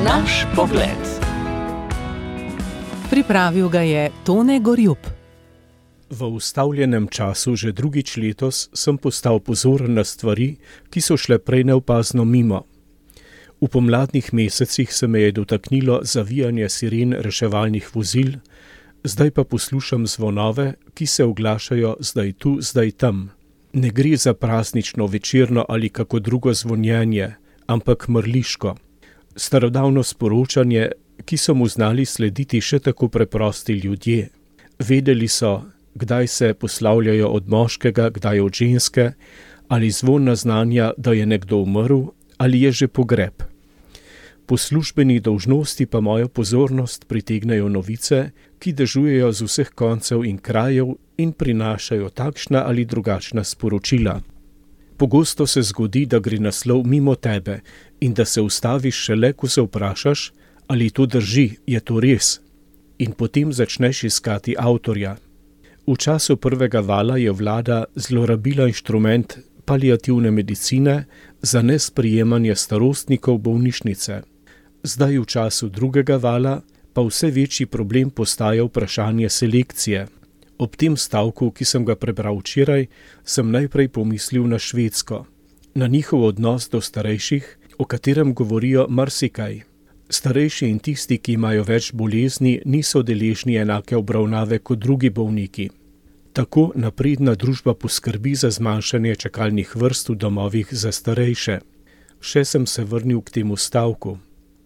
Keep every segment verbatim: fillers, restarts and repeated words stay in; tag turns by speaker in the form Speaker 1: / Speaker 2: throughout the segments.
Speaker 1: Naš pogled.
Speaker 2: Pripravil ga je Tone Gorjup.
Speaker 3: V ustavljenem času že drugič letos sem postal pozoren na stvari, ki so šle prej neopazno mimo. V pomladnih mesecih se me je dotaknilo zavijanje siren reševalnih vozil, zdaj pa poslušam zvonove, ki se oglašajo zdaj tu, zdaj tam. Ne gre za praznično, večerno ali kako drugo zvonjenje, ampak mrliško. Starodavno sporočanje, ki so mu znali slediti še tako preprosti ljudje. Vedeli so, kdaj se poslavljajo od moškega, kdaj od ženske, ali zvon naznanja, da je nekdo umrl, ali je že pogreb. Po službeni dolžnosti pa mojo pozornost pritegnejo novice, ki dežujejo z vseh koncev in krajev in prinašajo takšna ali drugačna sporočila. Pogosto se zgodi, da gre naslov mimo tebe in da se ustaviš šele, ko se vprašaš, ali to drži, je to res, in potem začneš iskati avtorja. V času prvega vala je vlada zlorabila inštrument paliativne medicine za nesprejemanje starostnikov v bolnišnice. Zdaj v času drugega vala pa vse večji problem postaja vprašanje selekcije. Ob tem stavku, ki sem ga prebral včeraj, sem najprej pomislil na Švedsko, na njihov odnos do starejših, o katerem govorijo marsikaj. Starejši in tisti, ki imajo več bolezni, niso deležni enake obravnave kot drugi bolniki. Tako napredna družba poskrbi za zmanjšanje čakalnih vrst v domovih za starejše. Še sem se vrnil k temu stavku.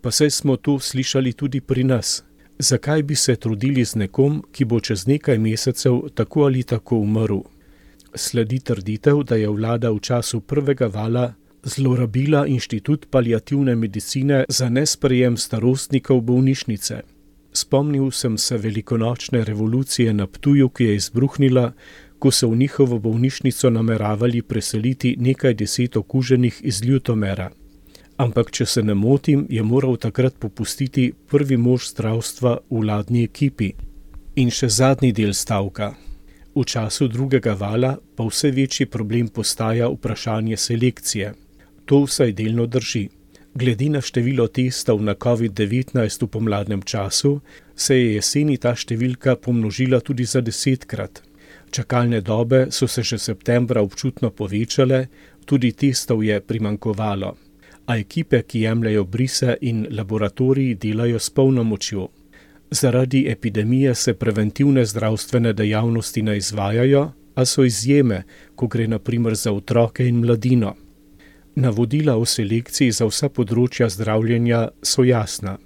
Speaker 3: Pa saj smo to slišali tudi pri nas. Zakaj bi se trudili z nekom, ki bo čez nekaj mesecev tako ali tako umrl? Sledi trditev, da je vlada v času prvega vala zlorabila inštitut paliativne medicine za nesprejem starostnikov bolnišnice. Spomnil sem se velikonočne revolucije na Ptuju, ki je izbruhnila, ko so v njihovo bolnišnico nameravali preseliti nekaj deset okuženih iz Ljutomera. Ampak, če se ne motim, je moral takrat popustiti prvi mož zdravstva v vladni ekipi. In še zadnji del stavka. V času drugega vala pa vse večji problem postaja vprašanje selekcije. To vsaj delno drži. Glede na število testov na covid devetnajst v pomladnem času, se je jeseni ta številka pomnožila tudi za desetkrat. Čakalne dobe so se že septembra občutno povečale, tudi testov je primanjkovalo. A ekipe, ki jemljajo brise in laboratoriji, delajo s polno močjo. Zaradi epidemije se preventivne zdravstvene dejavnosti ne izvajajo, a so izjeme, ko gre na primer za otroke in mladino. Navodila o selekciji za vsa področja zdravljenja so jasna.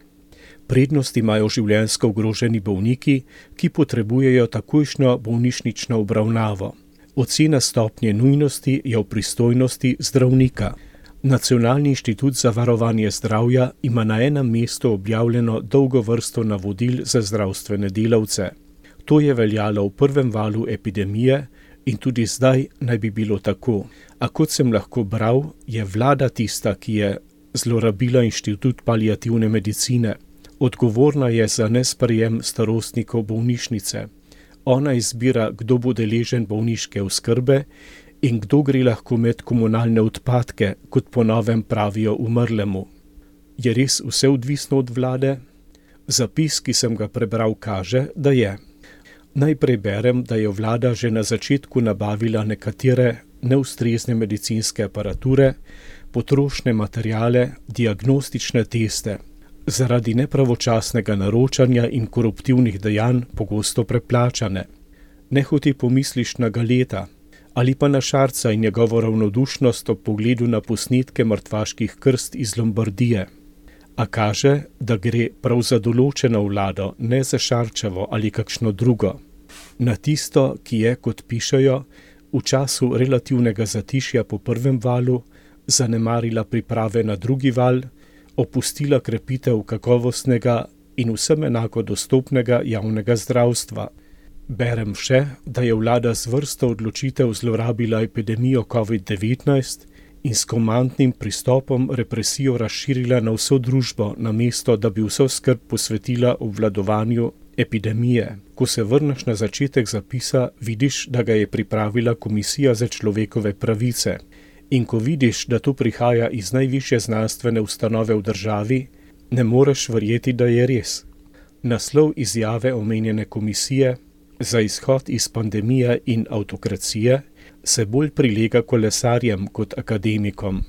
Speaker 3: Prednost imajo življenjsko ogroženi bolniki, ki potrebujejo takojšnjo bolnišnično obravnavo. Ocena stopnje nujnosti je v pristojnosti zdravnika. Nacionalni inštitut za varovanje zdravja ima na enem mestu objavljeno dolgo vrsto navodil za zdravstvene delavce. To je veljalo v prvem valu epidemije in tudi zdaj naj bi bilo tako. A kot sem lahko bral, je vlada tista, ki je zlorabila inštitut paliativne medicine. Odgovorna je za nesprejem starostnikov bolnišnice. Ona izbira, kdo bo deležen bolniške oskrbe in kdo gre lahko med komunalne odpadke, kot po novem pravijo umrlemu. Je res vse odvisno od vlade? Zapis, ki sem ga prebral, kaže, da je. Najprej berem, da je vlada že na začetku nabavila nekatere neustrezne medicinske aparature, potrošne materiale, diagnostične teste, zaradi nepravočasnega naročanja in koruptivnih dejanj pogosto preplačane. Nehote pomisliš na Galeta, ali pa na Šarca in njegovo ravnodušnost ob pogledu na posnetke mrtvaških krst iz Lombardije. A kaže, da gre prav za določeno vlado, ne za Šarčevo ali kakšno drugo. Na tisto, ki je, kot pišejo, v času relativnega zatišja po prvem valu zanemarila priprave na drugi val, opustila krepitev kakovostnega in vsem enako dostopnega javnega zdravstva. Berem še, da je vlada z vrsto odločitev zlorabila epidemijo covid devetnajst in s komandnim pristopom represijo razširila na vso družbo, namesto da bi vso skrb posvetila obvladovanju epidemije. Ko se vrneš na začetek zapisa, vidiš, da ga je pripravila Komisija za človekove pravice. In ko vidiš, da to prihaja iz najvišje znanstvene ustanove v državi, Ne moreš verjeti, da je res. Naslov izjave omenjene komisije za izhod iz pandemije in avtokracije se bolj prilega kolesarjem kot akademikom.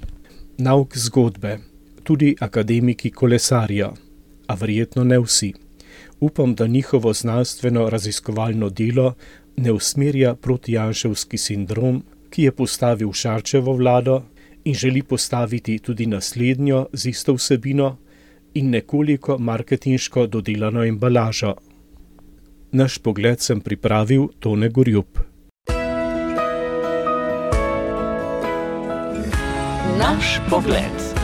Speaker 3: Nauk zgodbe. Tudi akademiki kolesarijo, a verjetno ne vsi. Upam, da njihovo znanstveno raziskovalno delo ne usmerja protijanševski sindrom, ki je postavil Šarčevo vlado in želi postaviti tudi naslednjo z isto vsebino in nekoliko marketinško dodelano embalažo. Naš pogled sem pripravil Tone Gorjup.
Speaker 2: Naš pogled.